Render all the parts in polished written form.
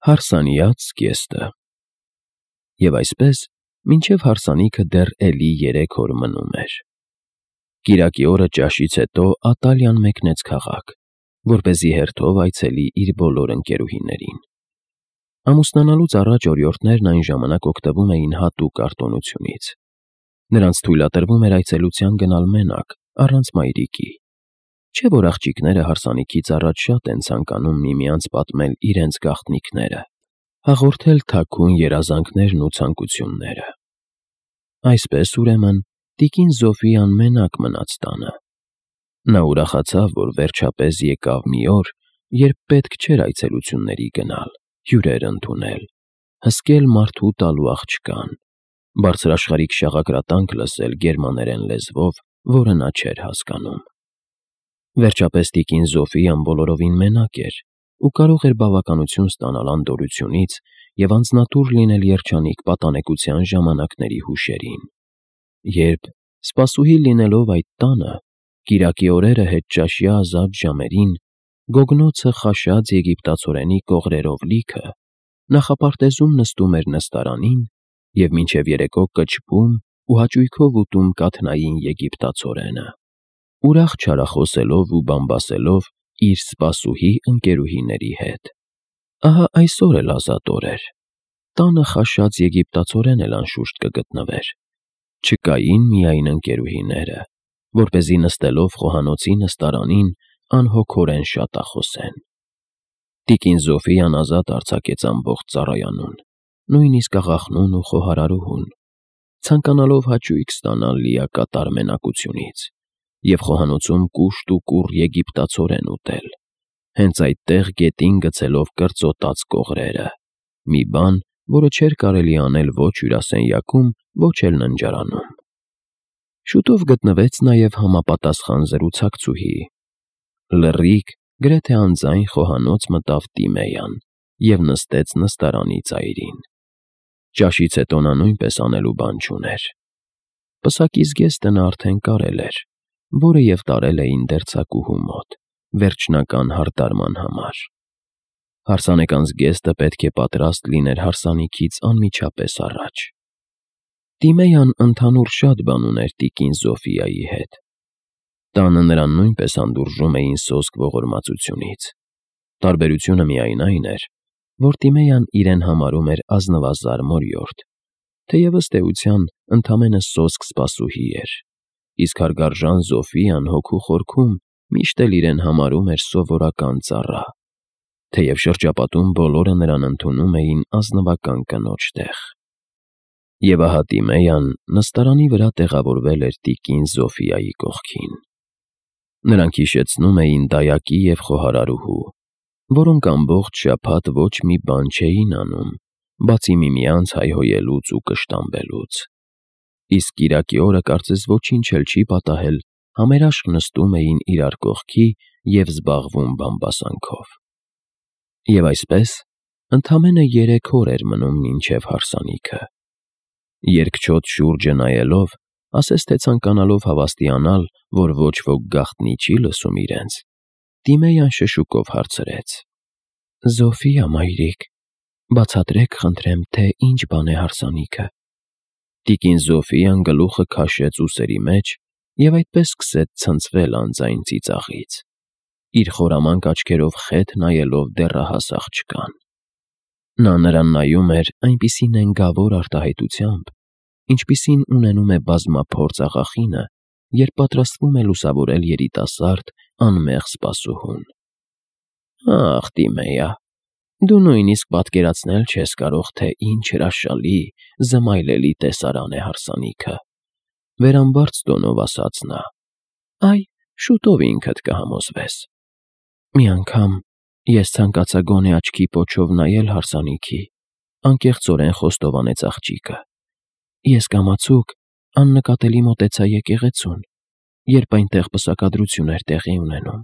Հարսանյաց կեստը։ Եվ այսպես, մինչև հարսանիքը դեռ էլի 3 օր մնում էր։ Կիրակի օրը ճաշից հետո Ատալիան մեկնեց քաղաք, որպեսզի հերթով այցելի իր բոլոր ընկերուհիներին։ Ամուսնանալուց առաջ օրիորդներն այն ժամանակ օգտվում էին հատուկ արտոնությունից։ Նրանց թույլատրվում էր այցելության գնալ մենակ, առանց մայրիկի։ Չէ՞ որ աղջիկները հարսանիքից առաջ շատ են ցանկանում միմյանց պատմել իրենց գաղտնիքները, հաղորդել թաքուն երազանքներն ու ցանկությունները։ Այսպես, ուրեմն, տիկին Զոֆիան մենակ մնաց տանը։ Նա ուրախացավ, որ վերջապես եկավ մի օր, երբ պետք չէր այցելությունների գնալ, հյուրեր ընդունել, հսկել մարդու տալու աղջկան, բարձրաշխարհիկ շաղակրատանք լսել գերմաներեն լեզվով, որը նա չէր հասկանում։ Վերջապես տիկին Զոֆիան բոլորովին մենակ էր ու կարող էր բավականություն ստանալ անդորրությունից և անձնատուր լինել երջանիկ պատանեկության ժամանակների հուշերին, երբ, սպասուհի լինելով այդ տանը, կիրակի օրերը հետճաշյա ազատ ժամերին, գոգնոցը խաշած եգիպտացորենի կողրերով լիքը, նախապարտեզում նստում էր նստարանին և մինչև երեկո կչկում ու հաճույքով ուտում կաթնային եգիպտացորենը, ուրախ չարախոսելով ու բամբասելով իր սպասուհի ընկերուհիների հետ։ Ահա այսօր էլ ազատ օր էր։ Տանը խաշած եգիպտացորեն էլ անշուշտ կգտնվեր։ Չկային միայն ընկերուհիները, որպեսզի նստելով խոհանոցի նստարանին անհոգորեն շատախոսեն։ Տիկին Զոֆիան ազատ արձակեց ամբողջ ծառայանուն, նույնիսկ աղախնուն ու խոհարարուհուն, ցանկանալով հաճույք ստանալ լիակատար մենակությունից և խոհանոցում կուշտ ու կուռ եգիպտացորեն ուտել, հենց այդտեղ գետին գցելով կրծոտած կողրերը, մի բան, որը չէր կարելի անել ոչ հյուրասենյակում, ոչ էլ ննջարանում։ Շուտով գտնվեց նաև համապատասխան զրուցակցուհի։ Լռիկ, գրեթե անձայն խոհանոց մտավ Տիմեյան և նստեց նստարանի ծայրին։ Ճաշից հետո նա նույնպես անելու բան չուներ։ Պսակի զգեստը նա արդեն կարել էր, որը և տարել էին դերձակուհու մոտ, վերջնական հարդարման համար։ Հարսանեկան զգեստը պետք է պատրաստ լիներ հարսանիքից անմիջապես առաջ։ Տիմեյան ընդհանուր շատ բան ուներ տիկին Զոֆիայի հետ։ Տանը նրան նույնպես հանդուրժում էին սոսկ ողորմածությունից։ Տարբերությունը միայն այն էր, որ Տիմեյան իրեն համարում էր ազնվազար մորյորդ, թեև ըստ էության ընդամենը սոսկ սպասուհի էր, իսկ հարգարժան Զոֆիան հոգու խորքում միշտ էլ իրեն համարում էր սովորական ծառա, թեև շրջապատում բոլորը նրան ընդունում էին ազնվական կնոջ տեղ։ Եվ ահա Տիմեյան նստարանի վրա տեղավորվել էր տիկին Զոֆիայի կողքին։ Նրանք հիշեցնում էին դայակի և խոհարարուհու, որոնք ամբողջ շաբաթ ոչ մի բան չէին անում, բացի միմյանց հայհոյելուց ու կշտամբելուց։ Իսկ կիրակի օրը կարծես ոչինչ էլ չի պատահել, համերաշխ նստում էին իրար կողքի և զբաղվում բամբասանքով։ Եվ այսպես, ընդամենը 3 օր էր մնում մինչև հարսանիքը։ Երկչոտ շուրջը նայելով, ասես թե ցանկանալով հավաստիանալ, որ ոչ ոք գաղտնի չի լսում իրենց, Տիմեյան շշուկով հարցրեց. «Զոֆիա մայրիկ, բացատրեք խնդրեմ, թե ինչ բան է հարսանիքը»։ Տիկին Զոֆիան գլուխը քաշեց ուսերի մեջ և այդպես սկսեց ցնցվել անձայն ծիծաղից, իր խորամանկ աչքերով խեթ նայելով դեռահաս աղջկան։ Նա նրան նայում էր այնպիսի նենգավոր արտահայտությամբ, ինչպիսին ունենում է բազմափորձ աղախինը, երբ պատրաստվում է լուսավորել երիտասարդ, անմեղ սպասուհուն։ «Ախ, Տիմեյա, դու նույնիսկ պատկերացնել չես կարող, թե ինչ հրաշալի, զմայլելի տեսարան է հարսանիքը», վերամբարձ տոնով ասաց նա։ «Այ, շուտով ինքդ կհամոզվես։ Մի անգամ ես ցանկացա գոնե աչքի պոչով նայել հարսանիքի», անկեղծորեն խոստովանեց աղջիկը։ «Ես կամացուկ աննկատելի մոտեցա եկեղեցուն, երբ այնտեղ պսակադրություն էր տեղի ունենում,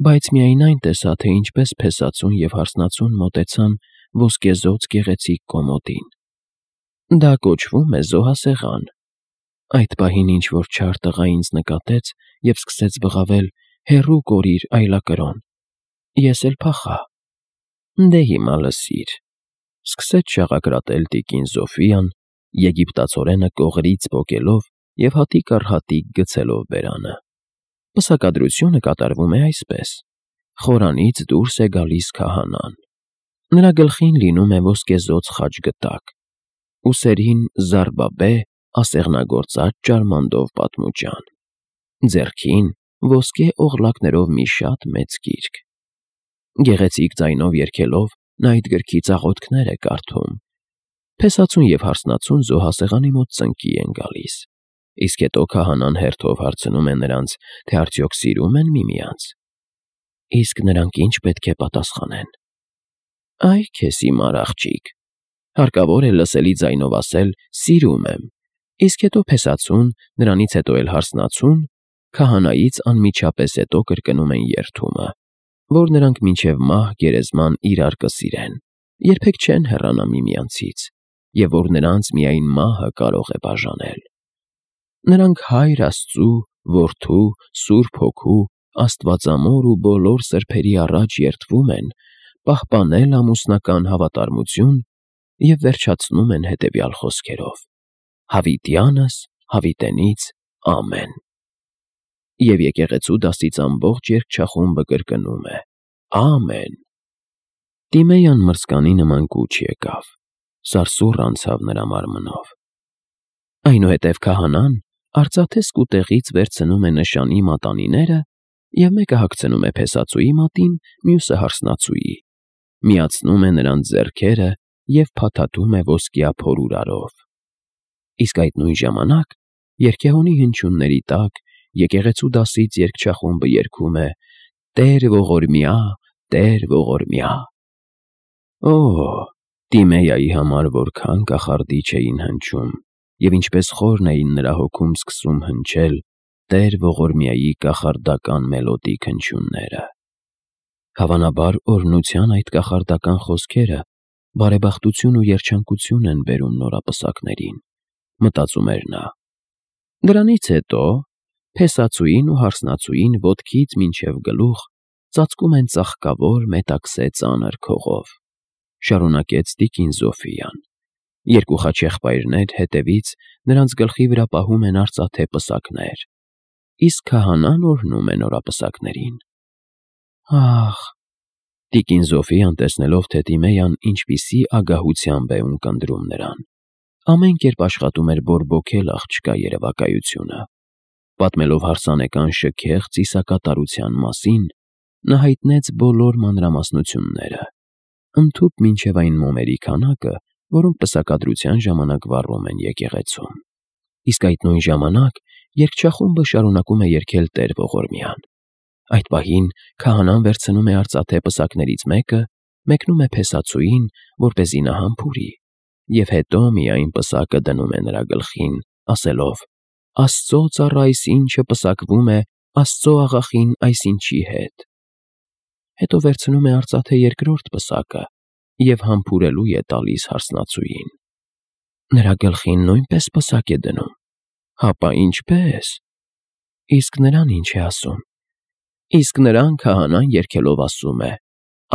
բայց միայն այն տեսա, թե ինչպես փեսացուն և հարսնացուն մոտեցան ոսկեզօծ գեղեցիկ կոմոդին։ Դա կոչվում է զոհասեղան։ Այդ պահին ինչ-որ չար տղա ինձ նկատեց և սկսեց բղավել. «Հեռու կորիր, այլակրոն»։ Ես էլ փախա։ Դե հիմա լսիր, սկսեց շաղակրատել տիկին Զոֆիան, եգիպտացորենը կողրից պոկելով և հատիկ առ հատիկ գցելով բերանը։ Պսակադրությունը կատարվում է այսպես. խորանից դուրս է գալիս քահանան։ Նրա գլխին լինում է ոսկեզօծ խաչգտակ, ուսերին զարբաբե ասեղնագործած ճարմանդով պատմուճան, ձեռքին ոսկե օղլակներով մի շատ մեծ գիրք։ Գեղեցիկ ձայնով երգելով նա այդ գրքից աղոթքներ է կարդում։ Փեսացուն և հարսնացուն զոհասեղանի մոտ ծնկի են գալիս, իսկ հետո քահանան հերթով հարցնում է նրանց, թե արդյոք սիրում են միմյանց։ Իսկ նրանք ինչ պետք է պատասխանեն։ Այ քեզ հիմար աղջիկ, հարկավոր է լսելի ձայնով ասել «սիրում եմ», իսկ հետո փեսացուն, նրանից հետո էլ հարսնացուն, քահանայից անմիջապես հետո կրկնում են երդումը, որ նրանք մինչև մահ գերեզման իրար կսիրեն, երբեք չեն հեռանա միմյանցից, և որ նրանց միայն մահը կարող է բաժանել։ Նրանք Հայր Աստծու, Որդու, Սուրբ Հոգու, Աստվածամոր ու բոլոր սրբերի առաջ երդվում են պահպանել ամուսնական հավատարմություն և վերջացնում են հետևյալ խոսքերով. «Հավիտյանս հավիտենից ամեն»։ Եվ եկեղեցու դասից ամբողջ երգչախումբը կրկնում է. «Ամեն»։ Տիմեյան մրցկանի նման կուչ եկավ, սարսուռ անցավ նրա մարմնով։ Այնուհետև քահանան արծաթե սկուտեղից վերցնում է նշանի մատանիները և մեկը հագցնում է փեսացուի մատին, մյուսը հարսնացուի, միացնում է նրանց ձեռքերը և փաթաթում է ոսկյա փորուրարով։ Իսկ այդ նույն ժամանակ երգեհոնի հնչյունների տակ եկեղեցու դասից երգչախումբը երգում է «Տեր ողորմյա, Տեր ողորմյա»։ Օ՜, Տիմեյայի համար որքան կախարդիչ էին հնչում, և ինչպես խորն էին նրա հոգում սկսում հնչել Տեր ողորմյայի կախարդական մելոդիկ հնչյունները։ Հավանաբար օրհնության այդ կախարդական խոսքերը բարեբախտություն ու երջանկություն են բերում նորապսակներին, մտածում էր նա։ Դրանից հետո փեսացուին ու հարսնացուին ոտքից մինչև գլուխ ծածկում են ծաղկավոր մետաքսե ծանր քողով, շարունակեց տիկին Զոֆիան։ Երկու խաչեղբայրներ հետևից նրանց գլխի վրա պահում են արծաթե պսակներ, իսկ քահանան օրհնում է նորապսակներին։ Ահ, տիկին Զոֆիան տեսնելով, թե Տիմեյան ինչպիսի ագահությամբ է ունկնդրում նրան, ամեն կերպ աշխատում էր բորբոքել աղջկա երևակայությունը։ Պատմելով հարսանեկան շքեղ ծիսակատարության մասին, նա հայտնեց բոլոր մանրամասնությունները, ընդհուպ մինչև այն մոմերի քանակը, որոնք պսակադրության ժամանակ վառում են եկեղեցում։ Իսկ այդ նույն ժամանակ երգչախումբը շարունակում է երգել Տեր ողորմյան։ Այդ պահին քահանան վերցնում է արծաթե պսակներից մեկը, մեկնում է փեսացուին, որպեսզի նա համբուրի, և հետո միայն պսակը դնում է նրա գլխին, ասելով. «Աստծո ծառա այսինչը պսակվում է Աստծո աղախին այսինչի հետ»։ Հետո վերցնում է արծաթե երկրորդ պսակը և համբուրելու է տալիս հարսնացուին։ Նրա գլխին նույնպես պսակ է դնում։ Հապա ինչպե՞ս։ Իսկ նրան ինչ է ասում։ Իսկ նրան քահանան երգելով ասում է.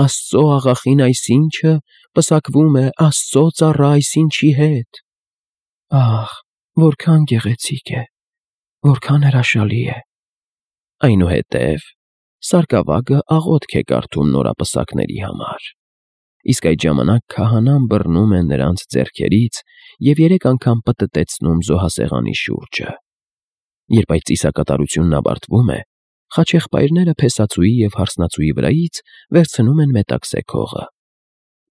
«Աստծո աղախին այսինչը պսակվում է Աստծո ծառա այսինչի հետ»։ Ահ, որքան գեղեցիկ է, որքան հրաշալի է։ Այնուհետև սարկավագը աղոթք է կարդում նորապսակների համար։ Իսկ այդ ժամանակ քահանան բռնում է նրանց ձեռքերից և 3 անգամ պտտեցնում զոհասեղանի շուրջը։ Երբ այդ ծիսակատարությունն ավարտվում է, խաչեղբայրները փեսացուի և հարսնացուի վրայից վերցնում են մետաքսե քողը։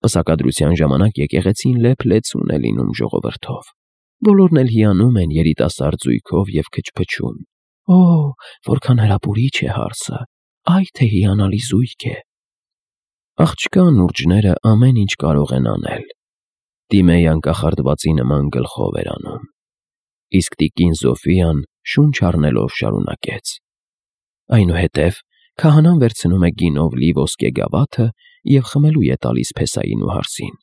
Պսակադրության ժամանակ եկեղեցին լեփ-լեցուն է լինում ժողովրդով։ Բոլորն էլ հիանում են երիտասարդ զույգով և քչփչում. «Օ, որքան հրապուրիչ է հարսը, այ թե հիանալի զույգ է»։ Աղջկա նուրջները ամեն ինչ կարող են անել։ Տիմեյան կախարդվածի նման գլխով էր անում։ Իսկ տիկին Զոֆիան շունչ առնելով շարունակեց. Այնուհետև քահանան վերցնում է գինով լի ոսկե գավաթը և խմելու է տալիս փեսային ու հարսին։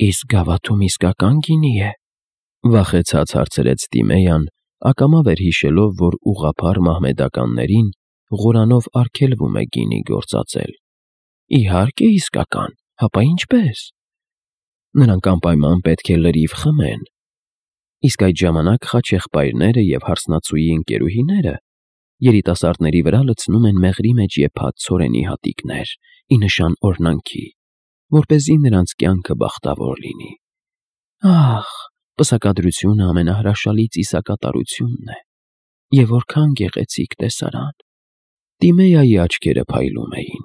Իսկ գավաթում իսկական գինի է, վախեցած հարցրեց Տիմեյան, ակամա վերհիշելով, որ ուղղափառ մահմեդականներին Ղուրանով արգելվում է գինի գործածել։ Իհարկե իսկական, Հապա ինչպես։ Նրանք անպայման պետք է լրիվ խմեն։ Իսկ այդ ժամանակ խաչեղբայրները և հարսնացուի ընկերուհիները երիտասարդների վրա լցնում են մեղրի մեջ եփած ցորենի հատիկներ, ի նշան օրհնանքի, որպեսզի նրանց կյանքը բախտավոր լինի։ Ահ, պսակադրությունը ամենահրաշալի ծիսակատարությունն է, և որքան գեղեցիկ տեսարան։ Տիմեայի աչքերը փայլում էին,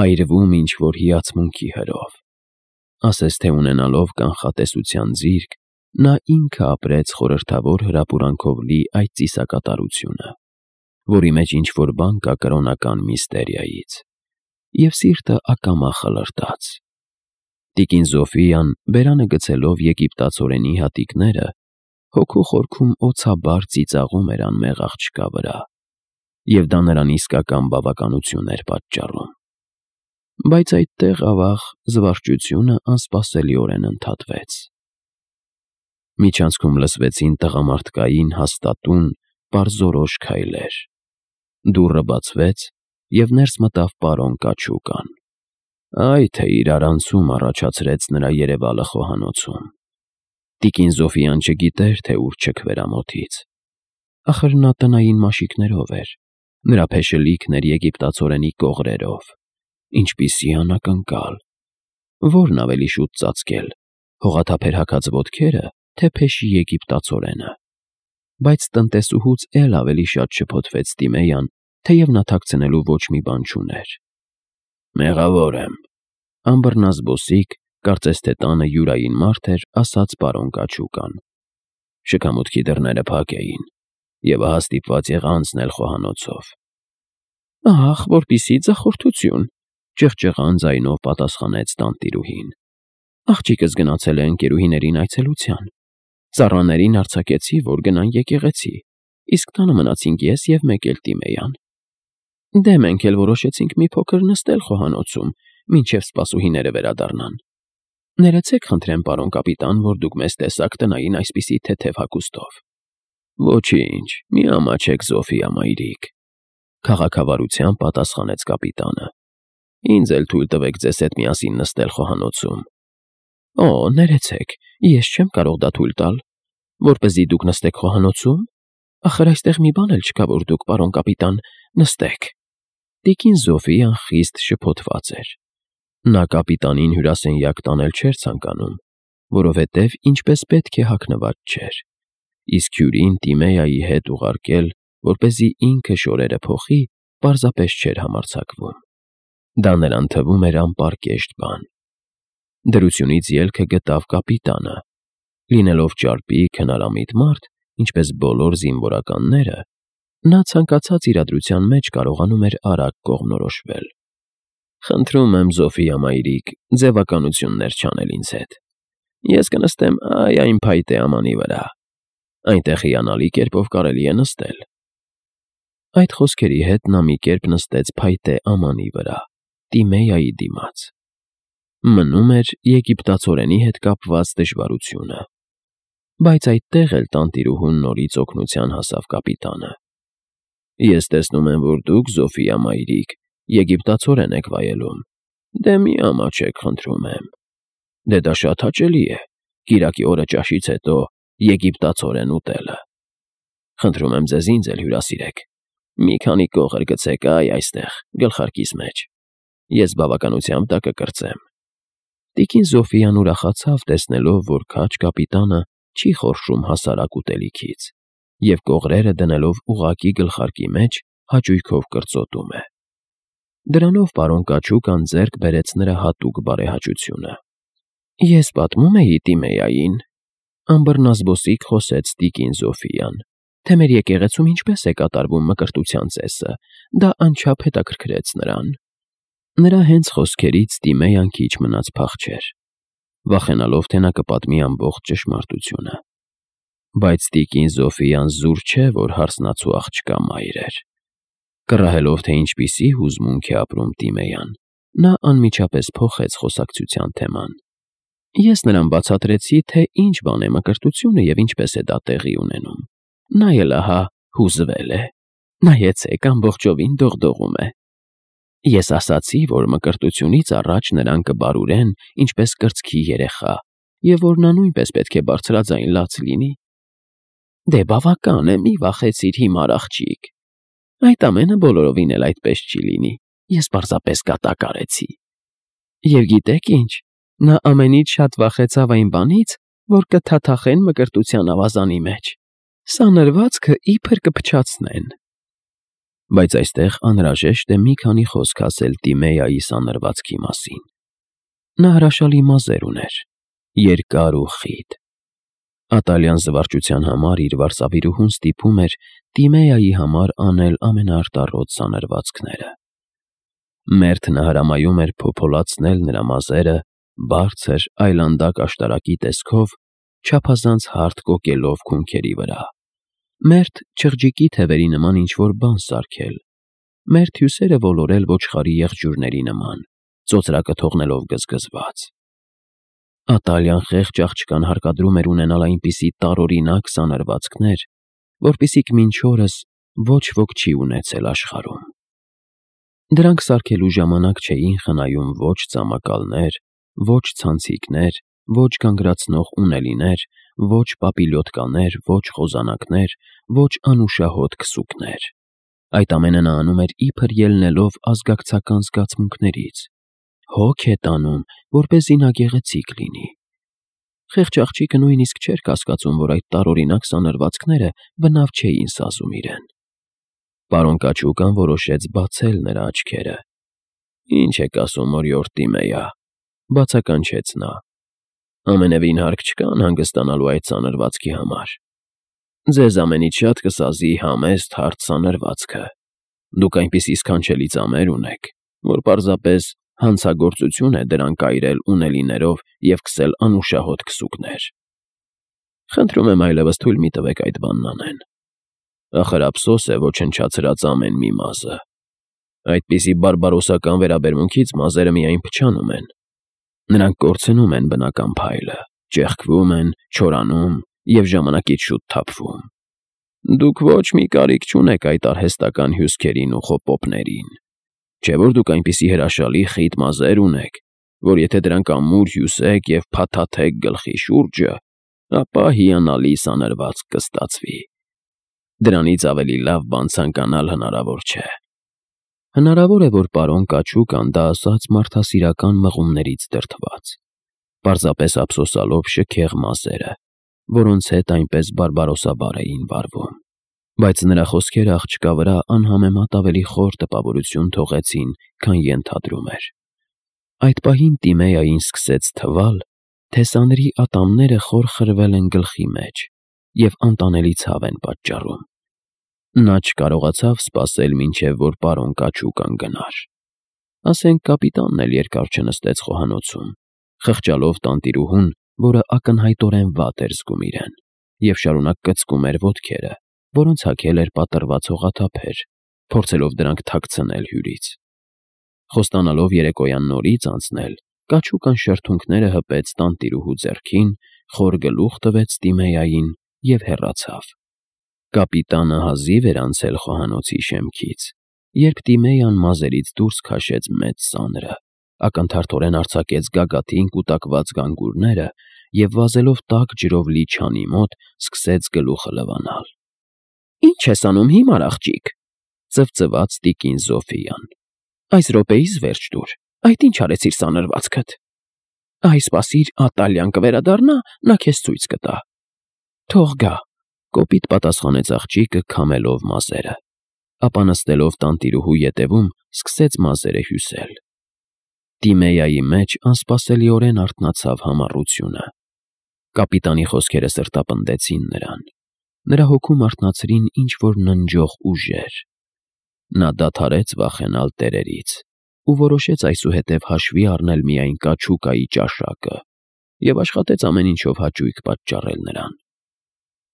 այրվում ինչ-որ հիացմունքի հրով։ Ասես թե ունենալով կանխատեսության ձիրք, նա ինքը ապրեց խորհրդավոր հրապուրանքով լի այդ ծիսակատարությունը, որի մեջ ինչ-որ բան կա կրոնական միստերիայից, և սիրտը ակամա խլրտաց։ Տիկին Զոֆիան, բերանը գցելով եգիպտացորենի հատիկները, հոգու խորքում օձաբար ծիծաղում էր անմեղ աղջկա վրա, և դա նրան իսկական բավականություն էր պատճառում։ Բայց այդտեղ, ավաղ, զվարճությունը անսպասելիորեն ընդհատվեց։ Միջանցքում լսվեցին տղամարդկային հաստատուն, պարզորոշ քայլեր։ Դուռը բացվեց, և ներս մտավ պարոն Կաչուկան։ Այ թե իրար անցում առաջացրեց նրա երևալը խոհանոցում։ Տիկին Զոֆիան չգիտեր, թե ուր չքվեր ամոթից։ Ախր նա տնային մաշիկներով էր, նրա փեշը լիքն էր եգիպտացորենի կողրերով։ Ինչպիսի անակնկալ։ Որն ավելի շուտ ծածկել, հողաթափեր հագած ոտքերը, թե փեշի եգիպտացորենը։ Բայց տնտեսուհուց էլ ավելի շատ շփոթվեց Տիմեյան, թեև նա թաքցնելու ոչ մի բան չուներ։ Մեղավոր եմ, անբռնազբոսիկ, կարծես թե տանը յուրային մարդ էր, ասաց պարոն Կաչուկան։ Շքամուտքի դռները փակ էին, և ահա ստիպված եղա անցնել խոհանոցով։ Ահ, որպիսի ձախորդություն, ճղճղան ձայնով պատասխանեց տանտիրուհին։ Աղջիկս գնացել է ընկերուհիներին այցելության։ Ծառաներին արձակեցի, որ գնան եկեղեցի, իսկ տանը մնացինք ես և մեկ էլ Տիմեյան։ Դե մենք էլ որոշեցինք մի փոքր նստել խոհանոցում, մինչև սպասուհիները վերադառնան։ Ներեցեք խնդրեմ, պարոն կապիտան, որ դուք մեզ տեսաք տնային այսպիսի թեթև հագուստով։ Ոչինչ, մի ամաչեք, Զոֆիա մայրիկ, քաղաքավարությամբ պատասխանեց կապիտանը։ Ինձ էլ թույլ տվեք ձեզ հետ միասին նստել խոհանոցում։ Օ, ներեցեք, ես չեմ կարող դա թույլ տալ, որպեսզի դուք նստեք խոհանոցում։ Ախր այստեղ մի բան էլ չկա, որ դուք, պարոն կապիտան, նստեք։ Տիկին Զոֆիան խիստ շփոթված էր։ Նա կապիտանին հյուրասենյակ տանել չէր ցանկանում, որովհետև ինչպես պետք է հագնված չէր, իսկ հյուրին Տիմեայի հետ ուղարկել, որպեսզի ինքը շորերը փոխի, պարզապես չէր համարձակվում։ Դա նրան թվում էր անպարկեշտ բան։ Դրությունից ելքը գտավ կապիտանը։ Լինելով ճարպիկ, հնարամիտ մարդ, ինչպես բոլոր զինվորականները, նա ցանկացած իրադրության մեջ կարողանում էր արագ կողմնորոշվել։ Խնդրում եմ, Զոֆիա մայրիկ, ձևականություններ չանել ինձ հետ։ Ես կնստեմ այն փայտե ամանի վրա։ Այնտեղ հիանալի կերպով կարելի է նստել։ Այդ խոսքերի հետ նա մի կերպ նստեց փայտե ամանի վրա, Տիմեայի դիմաց։ Մնում էր եգիպտացորենի հետ կապված դժվարությունը։ Բայց այդտեղ էլ տանտիրուհուն նորից օգնության հասավ կապիտանը։ Ես տեսնում եմ, որ դուք, Զոֆիա մայրիկ, եգիպտացորեն եք վայելում։ Դե մի ամաչեք, խնդրում եմ։ Դե դա շատ հաճելի է, կիրակի օրը ճաշից հետո եգիպտացորեն ուտելը։ Խնդրում եմ ձեզ ինձ էլ հյուրասիրեք։ Մի քանի կողր գցեք այստեղ, գլխարկիս մեջ։ Ես բավականությամբ դա կկրծեմ։ Տիկին Զոֆիան ուրախացավ, տեսնելով, որ քաջ կապիտանը չի խորշում հասարակ ուտելիքից, և կողրերը դնելով ուղղակի գլխարկի մեջ հաճույքով կրծոտում է։ Դրանով պարոն Կաչուկան ձեռք բերեց նրա հատուկ բարեհաճությունը։ Ես պատմում էի Տիմեային, անբռնազբոսիկ խոսեց տիկին Զոֆիան, թե մեր եկեղեցում ինչպես է կատարվում մկրտության ծեսը, դա անչափ հետաքրքրեց նրան։ Նրա հենց խոսքերից Տիմեյան քիչ մնաց փախչեր, վախենալով, թե նա կպատմի ամբողջ ճշմարտությունը։ Բայց տիկին Զոֆիան զուր չէ, որ հարսնացու աղջկա մայր էր։ Կռահելով, թե ինչպիսի հուզմունք է ապրում Տիմեյան, նա անմիջապես փոխեց խոսակցության թեման։ Ես նրան բացատրեցի, թե ինչ բան է մկրտությունը և ինչպես է դա տեղի ունենում։ Նա էլ ահա հուզվել է։ Նայեցեք, ամբողջովին դողդողում է։ Ես ասացի, որ մկրտությունից առաջ նրան կբարուրեն ինչպես կրծքի երեխա, և որ նա նույնպես պետք է բարձրաձայն լաց լինի։ Դե բավական է, մի վախեցիր հիմար աղջիկ։ Այդ ամենը բոլորովին էլ այդպես չի լինի, ես պարզապես կատակ արեցի։ Եվ գիտեք ինչ, նա ամենից շատ վախեցավ այն բանից, որ կթաթախեն մկրտության ավազանի մեջ։ Սանրվածքը իբր կփչացնեն։ Բայց այստեղ անհրաժեշտ է մի քանի խոսք ասել Տիմեայի սանրվածքի մասին։ Նա հրաշալի մազեր ուներ, երկար ու խիտ։ Ատալյան զվարճության համար իր վարսավիրուհուն ստիպում էր Տիմեայի համար անել ամենաարտառոտ սանրվածքները։ Մերթն հրամայում էր փոփոլացնել նրա մազերը բարձր այլանդակ աշտարակի տեսքով, չափազանց հարթ կոկելով քունքերի վրա։ Մերթ չղջիկի թևերի նման ինչ-որ բան սարքել, մերթ հյուսերը ոլորել ոչխարի եղջյուրների նման, ծոծրակը թողնելով գզգզված։ Ատալյան խեղճ աղջկան հարկադրում էր ունենալ այնպիսի տարօրինակ սանրվածքներ, որպիսիք մինչ օրս ոչ ոք չի ունեցել աշխարհում։ Դրանք սարքելու ժամանակ չէին խնայում ոչ ծամակալներ, ոչ ցանցիկներ, ոչ գանգրացնող ունելիներ, ոչ պապիլյոտկաներ, ոչ խոզանակներ, ոչ անուշահոտ քսուկներ։ Այդ ամենը նա անում էր իբր ելնելով ազգակցական զգացմունքներից։ Հոգ է տանում, որպեսզի նա գեղեցիկ լինի։ Խեղճ աղջիկը նույնիսկ չէր կասկածում, որ այդ տարօրինակ սանրվածքները բնավ չէին սազում իրեն։ Պարոն Կաչուկան որոշեց բացել նրա աչքերը։ Ինչ եք ասում, օրիորդ Տիմեյա, բացականչեց նա։ Ամենևին հարկ չկա անհանգստանալու այդ սանրվածքի համար։ Ձեզ ամենից շատ կսազի համեստ հարթ սանրվածքը։ Դուք այնպիսի սքանչելի ծամեր ունեք, որ պարզապես հանցագործություն է դրանք այրել ունելիներով և քսել անուշահոտ քսուկներ։ Խնդրում եմ այլևս թույլ մի տվեք այդ բանն անեն։ Ախր ափսոս է ոչնչացրած ամեն մի մազը։ Այդպիսի բարբարոսական վերաբերմունքից մազերը միայն փչանում են։ Նրանք կորցնում են բնական փայլը, ճեղքվում են, չորանում և ժամանակից շուտ թափվում։ Դուք ոչ մի կարիք չունեք այդ արհեստական հյուսքերին ու խոպոպներին։ Չէ՞ որ դուք այնպիսի հրաշալի խիտ մազեր ունեք, որ եթե դրանք ամուր հյուսեք և փաթաթեք գլխի շուրջը, ապա հիանալի սանրվածք կստացվի։ Դրանից ավելի լավ բան ցանկանալ հնարավոր չէ։ Հնարավոր է, որ պարոն Կաչուկան դա ասաց մարդասիրական մղումներից դրդված, պարզապես ափսոսալով շքեղ մազերը, որոնց հետ այնպես բարբարոսաբար էին վարվում։ Բայց նրա խոսքերը աղջկա վրա անհամեմատ ավելի խոր տպավորություն թողեցին, քան ենթադրում էր։ Այդ պահին Տիմեային սկսեց թվալ, թե սանրի ատամները խոր խրվել են գլխի մեջ և անտանելի ցավ են պատճառում։ Նա չկարողացավ սպասել, մինչև որ պարոն Կաչուկան գնար։ Ասենք կապիտանն էլ երկար չնստեց խոհանոցում, խղճալով տանտիրուհուն, որը ակնհայտորեն վատ էր զգում իրեն, և շարունակ կծկում էր ոտքերը, որոնց հագել էր պատռված հողաթափեր, փորձելով դրանք թաքցնել հյուրից։ Խոստանալով երեկոյան նորից անցնել, Կաչուկան շրթունքները հպեց տանտիրուհու ձեռքին, խոր գլուխ տվեց Տիմեյային և հեռացավ։ Կապիտանը հազիվ էր անցել խոհանոցի շեմքից, երբ Տիմեյան մազերից դուրս քաշեց մեծ սանրը, ակնթարթորեն արձակեց գագաթին կուտակված գանգուրները և վազելով տաք ջրով լի չանի մոտ սկսեց գլուխը լվանալ։ Ինչ ես անում հիմար աղջիկ, ծվծվաց տիկին Զոֆիան։ Այս րոպեիս վերջ տուր, այդ ինչ արեցիր սանրվածքդ։ Այ սպասիր, Ատալյան կվերադառնա, նա քեզ ցույց կտա։ Թող գա, կոպիտ պատասխանեց աղջիկը քամելով մազերը, ապա նստելով տանտիրուհու ետևում սկսեց մազերը հյուսել։ Տիմեյայի մեջ անսպասելիորեն արթնացավ համառությունը։ Կապիտանի խոսքերը սրտապնդեցին նրան։ Նրա հոգում արթնացրին ինչ-որ ննջող ուժեր։ Նա դադարեց վախենալ տերերից ու որոշեց այսուհետև հաշվի առնել միայն Կաչուկայի ճաշակը և աշխատեց ամեն ինչով հաճույք պատճառել նրան։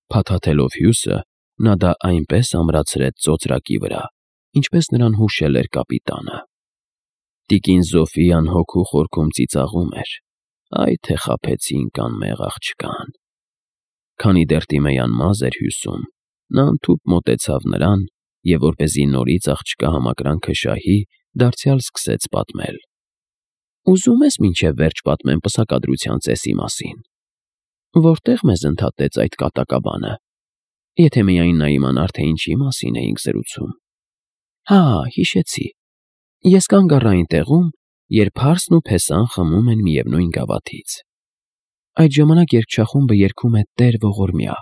Փաթաթելով հյուսը, նա դա այնպես ամրացրեց ծոծրակի վրա, ինչպես նրան հուշել էր կապիտանը։ Տիկին Զոֆիան հոգու խորքում ծիծաղում էր. «Այ թե խաբեցինք անմեղ աղջկան»։ Քանի դեռ Տիմեյան մազ էր հյուսում, նա ընդհուպ մոտեցավ նրան և որպեսզի նորից աղջկա համակրանքը շահի, դարձյալ սկսեց պատմել. «Ուզում ես մինչև վերջ պատմեմ պսակադրության ծեսի մասին, որտեղ մեզ ընդհատեց այդ կատակաբանը, եթե միայն նա իմանար, թե ինչի մասին էինք զրուցում»։ Հա, հիշեցի։ Ես կանգ առա այն տեղում, երբ Հարսն ու Փեսան խմում են միևնույն գավաթից։ Այդ ժամանակ երգչախումբը երգում է «Տեր ողորմյա»,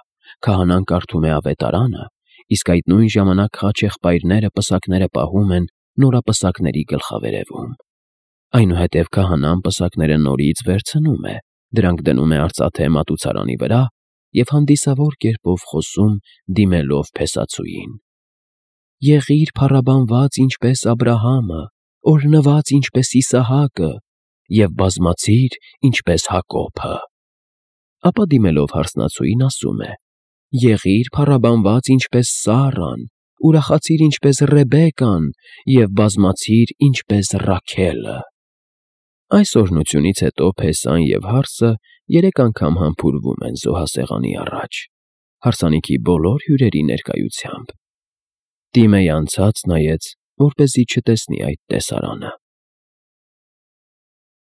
քահանան կարդում է ավետարանը, իսկ այդ նույն ժամանակ խաչեղբայրները պսակները պահում են նորապսակների գլխավերևում։ Այնուհետև քահանան պսակները նորից վերցնում է, դրանք դնում է արծաթե մատուցարանի վրա և հանդիսավոր կերպով խոսում, դիմելով փեսացուին. «Եղիր փառաբանված ինչպես Աբրահամը, օրհնված ինչպես Իսահակը և բազմացիր ինչպես Հակոբը»։ Ապա դիմելով հարսնացուին ասում է. «Եղիր փառաբանված ինչպես Սառան, ուրախացիր ինչպես Ռեբեկան և բազմացիր ինչպես Ռաքելը»։ Այս օրհնությունից հետո Փեսան և Հարսը 3 անգամ համբուրվում են զոհասեղանի առաջ, հարսանիքի բոլոր հյուրերի ներկայությամբ։ Տիմեյ անցած նայեց, որպեսզի չտեսնի այդ տեսարանը։